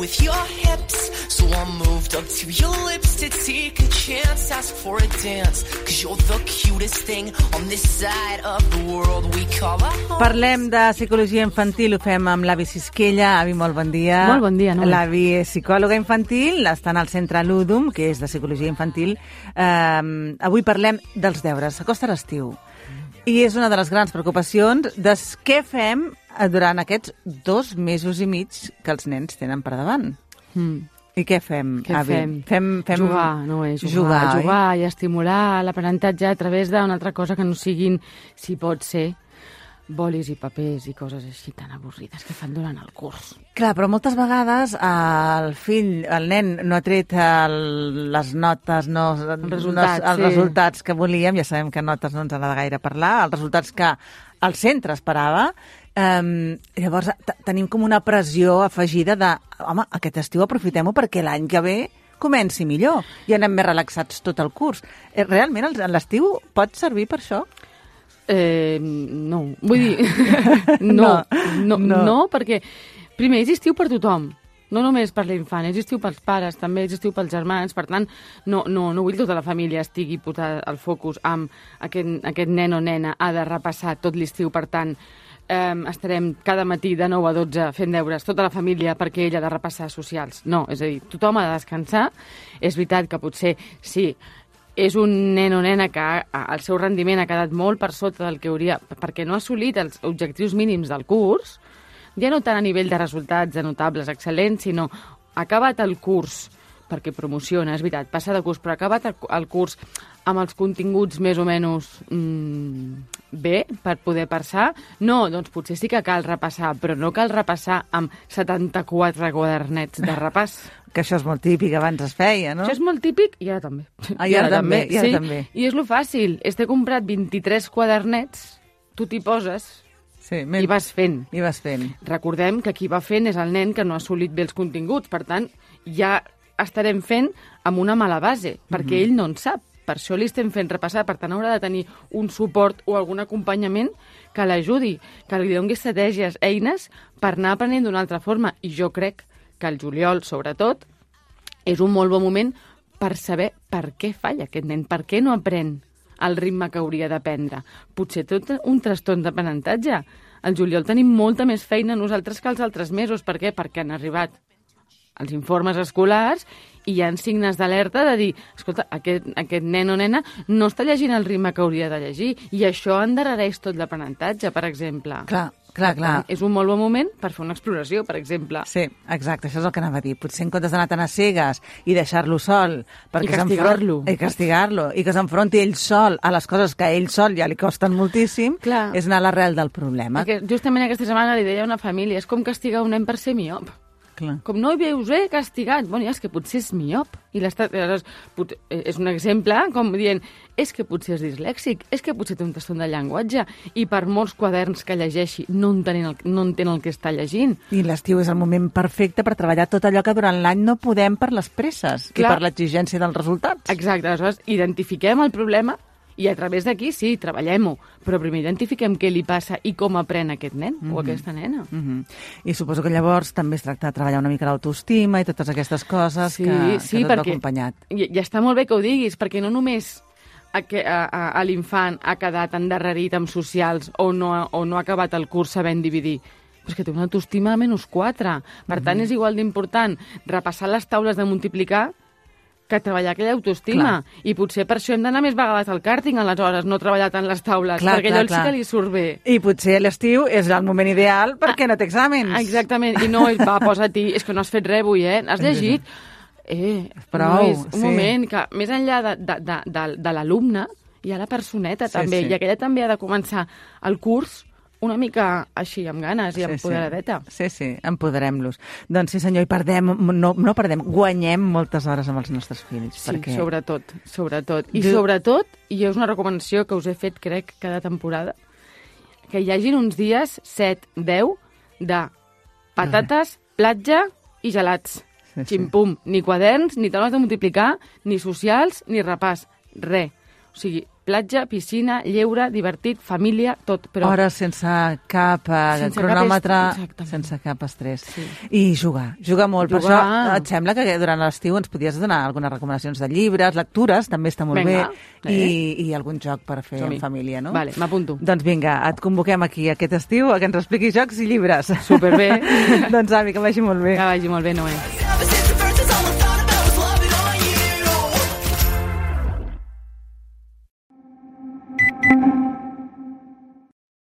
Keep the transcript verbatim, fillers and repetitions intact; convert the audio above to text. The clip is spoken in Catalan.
with your hips. So I moved up to your lips to take a chance, ask for a dance, cause you're the cutest thing on this side of the world we call a home. Parlem de psicologia infantil, ho fem amb l'Avi Sisquella. Avi, molt bon dia. Molt bon dia, no? L'Avi és psicòloga infantil, està en el centre Ludum, que és de psicologia infantil. Um, avui parlem dels deures. S'acosta l'estiu. I és una de les grans preocupacions de què fem durant aquests dos mesos i mig que els nens tenen per davant. Mm. I què fem, què Avi? Fem? Fem, fem... Jugar, no és jugar. Jugar, jugar i estimular l'aprenentatge a través d'una altra cosa que no siguin, si pot ser, bolis i papers i coses així tan avorrides que fan durant el curs. Clar, però moltes vegades el fill, el nen, no ha tret el, les notes, no, els resultats, no, els sí. resultats que volíem, ja sabem que notes no ens agrada gaire parlar, els resultats que el centre esperava. Um, llavors tenim com una pressió afegida de, home, aquest estiu aprofitem-ho perquè l'any que ve comenci millor i anem més relaxats tot el curs. Realment l'estiu pot servir per això? Eh, no, vull dir, no, no, no, no, no, perquè primer és estiu per tothom, no només per l'infant, és estiu pels pares, també és estiu pels germans, per tant, no, no, no vull que tota la família estigui posada al focus amb aquest, aquest nen o nena ha de repassar tot l'estiu, per tant, eh, estarem cada matí de nou a dotze fent deures tota la família perquè ella ha de repassar socials. No, és a dir, tothom ha de descansar, és veritat que potser sí, és un nen o nena que el seu rendiment ha quedat molt per sota del que hauria, perquè no ha assolit els objectius mínims del curs, ja no tant a nivell de resultats, de notables, excel·lents, sinó ha acabat el curs, perquè promociona, és veritat, passa de curs, però ha acabat el curs amb els continguts més o menys mmm, bé per poder passar. No, doncs potser sí que cal repassar, però no cal repassar amb setanta-quatre quadernets de repàs. Que això és molt típic, abans es feia, no? Això és molt típic i ara també. Ah, i ara, ara també, i ara sí. també. I és lo fàcil, és t'he comprat vint-i-tres quadernets, tu t'hi poses sí, i vas fent. I vas fent. Recordem que qui va fent és el nen que no ha assolit bé els continguts, per tant, ja estarem fent amb una mala base, perquè mm-hmm. ell no en sap. Per això li estem fent repassar, per tant haurà de tenir un suport o algun acompanyament que l'ajudi, que li doni estratègies, eines per anar aprenent d'una altra forma. I jo crec que el juliol, sobretot, és un molt bon moment per saber per què falla aquest nen, per què no aprèn el ritme que hauria d'aprendre. Potser tot un trastorn d'aprenentatge. Al juliol tenim molta més feina nosaltres que els altres mesos. Per què? Perquè han arribat els informes escolars i hi ha signes d'alerta de dir, escolta, aquest, aquest nen o nena no està llegint el ritme que hauria de llegir i això endarrereix tot l'aprenentatge, per exemple. Clar, clar, clar. És un molt bon moment per fer una exploració, per exemple. Sí, exacte, això és el que anava a dir. Potser en comptes d'anar tan a cegues i deixar-lo sol... I castigar-lo. I castigar-lo, i que s'enfronti ell sol a les coses que a ell sol ja li costen moltíssim, clar. És anar a l'arrel del problema. Perquè justament aquesta setmana li deia a una família, és com castigar un nen per ser miop. Clar. Com no hi veus, eh, castigat. Bueno, ja és que potser és miop. I és un exemple com dient, és que potser és dislèxic, és que potser té un trastorn de llenguatge i per molts quaderns que llegeixi no entén el, no entén el que està llegint. I l'estiu és el moment perfecte per treballar tot allò que durant l'any no podem per les presses Clar. I per l'exigència dels resultats. Exacte, aleshores identifiquem el problema i a través d'aquí, sí, treballem-ho, però primer identifiquem què li passa i com aprèn aquest nen mm-hmm. o aquesta nena. Mm-hmm. I suposo que llavors també es tracta de treballar una mica l'autoestima i totes aquestes coses sí, que, sí, que tot va perquè acompanyat. I, i està molt bé que ho diguis, perquè no només a, que, a, a, a l'infant ha quedat endarrerit amb socials o no, o no ha acabat el curs sabent dividir, però és que té una autoestima a menys quatre. Per tant, mm-hmm. és igual d'important repassar les taules de multiplicar que treballar aquella autoestima. Clar. I potser per això hem d'anar més vegades al càrting, aleshores, no treballar tant les taules, clar, perquè clar, allò clar. Sí que li surt bé. I potser l'estiu és el moment ideal perquè ah, no té exàmens. Exactament, i no, va, posa-t'hi, és que no has fet res avui, eh? Has llegit? Eh, Prou, no és un sí. moment que, més enllà de, de, de, de, de l'alumne, hi ha la personeta, sí, també, sí. I aquella també ha de començar el curs una mica així, amb ganes i sí, empoderadeta. Sí, sí, empoderem-los. Doncs sí, senyor, i perdem, no, no perdem, guanyem moltes hores amb els nostres fills. Sí, perquè... sobretot, sobretot. I jo... sobretot, i és una recomanació que us he fet, crec, cada temporada, que hi hagin uns dies, set, deu, de patates, platja i gelats. Sí, sí. Ximpum, ni quaderns, ni taules de multiplicar, ni socials, ni repàs, res. O sigui, platja, piscina, lleure, divertit, família, tot. Però... Hores sense cap eh, sense cronòmetre, cap est... sense cap estrès. Sí. I jugar, jugar molt. Jugar. Per això et sembla que durant l'estiu ens podies donar algunes recomanacions de llibres, lectures, també està molt Venga, bé, eh? i, i algun joc per fer en família, no? Vale, m'apunto. Doncs vinga, et convoquem aquí aquest estiu a que ens expliquis jocs i llibres. Superbé. Doncs, Ami, que vagi molt bé. Que vagi molt bé, Noé.